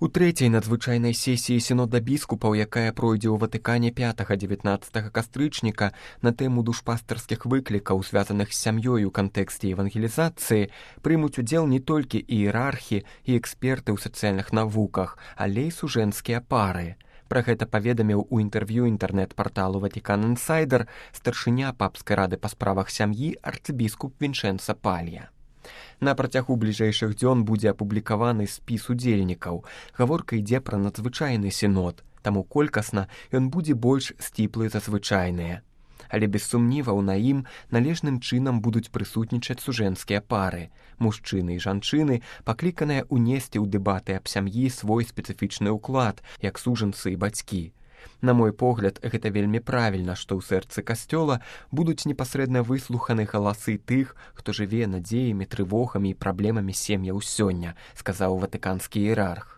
У трэцяй надзвычайнай сесіі сінода біскупаў, якая пройдзе ў Ватыкане 5-19 кастрычніка на тэму душпастарскіх выклікаў, звязаных з сям'ёй у кантэксце евангелізацыі, прымуць удзел не толькі іерархі і эксперты ў сацыяльных навуках, але і сужэнскія пары. Пра гэта паведаміў у інтэрв'ю інтэрнэт-парталу Ватикан Інсайдер старшыня папскай рады па справах сям'і арцыбіскуп Вінчэнца Палья. На працягу бліжэйшых дзён будзе апублікаваны спіс удзельнікаў. Гаворка ідзе пра надзвычайны сінод, таму колькасна ён будзе больш сціплы за звычайныя. Але без сумніваў на ім належным чынам будуць прысутнічаць сужэнскія пары. Мужчыны і жанчыны пакліканыя ўнесці ў дэбаты аб сям'і свой спецыфічны ўклад, як сужэнцы і бацькі. На мой погляд, гэта вельмі правільна, што ў сэрцы касцёла будуць непасрэдна выслуханы галасы тых, хто жыве надзеямі, трывогамі і праблемамі сем'яў сёння, сказаў ватыканскі іерарх.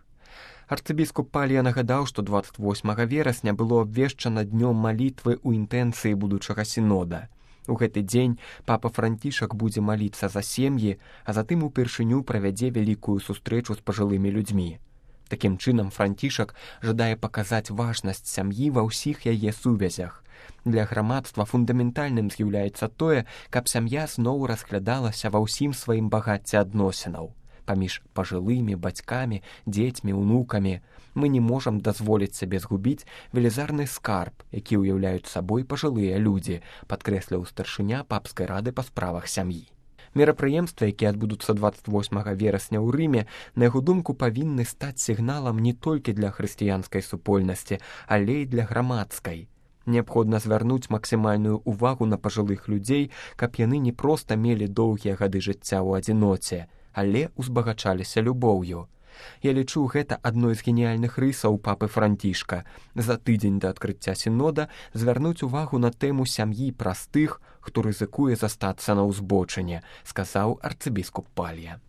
Арцыбіскуп Палья нагадаў, што 28 верасня было абвешчана днём малітвы ў інтэнцыі будучага сінода. У гэты дзень папа Францішак будзе маліцца за сем'і, а затым упершыню правядзе вялікую сустрэчу з пажылымі людзьмі. Такім чынам, Францішак жадае паказаць важнасць сям'і ва ўсіх яе сувязях. Для грамадства фундаментальным з'яўляецца тое, каб сям'я зноў разглядалася ва ўсім сваім багацці адносінаў. Паміж пажылымі, бацькамі, дзецьмі, унукамі мы не можам дазволіць сабе згубіць велізарны скарб, які ўяўляюць сабой пажылыя людзі, падкрэсліў старшыня папскай рады па справах сям'і. Мерапрыемствы, якія адбудуцца 28 верасня ў Рыме, на яго думку, павінны стаць сігналам не толькі для хрысціянскай супольнасці, але і для грамадскай. Неабходна звярнуць максімальную ўвагу на пажылых людзей, каб яны не проста мелі доўгія гады жыцця ў адзіноце, але узбагачаліся любоўю. Я лічу, гэта адной з геніяльных рысаў папы Францішка. За тыдзень да адкрыцця сінода звярнуць увагу на тэму сям'і праз тых, хто рызыкуе застацца на ўзбочыне, сказаў арцыбіскуп Палья.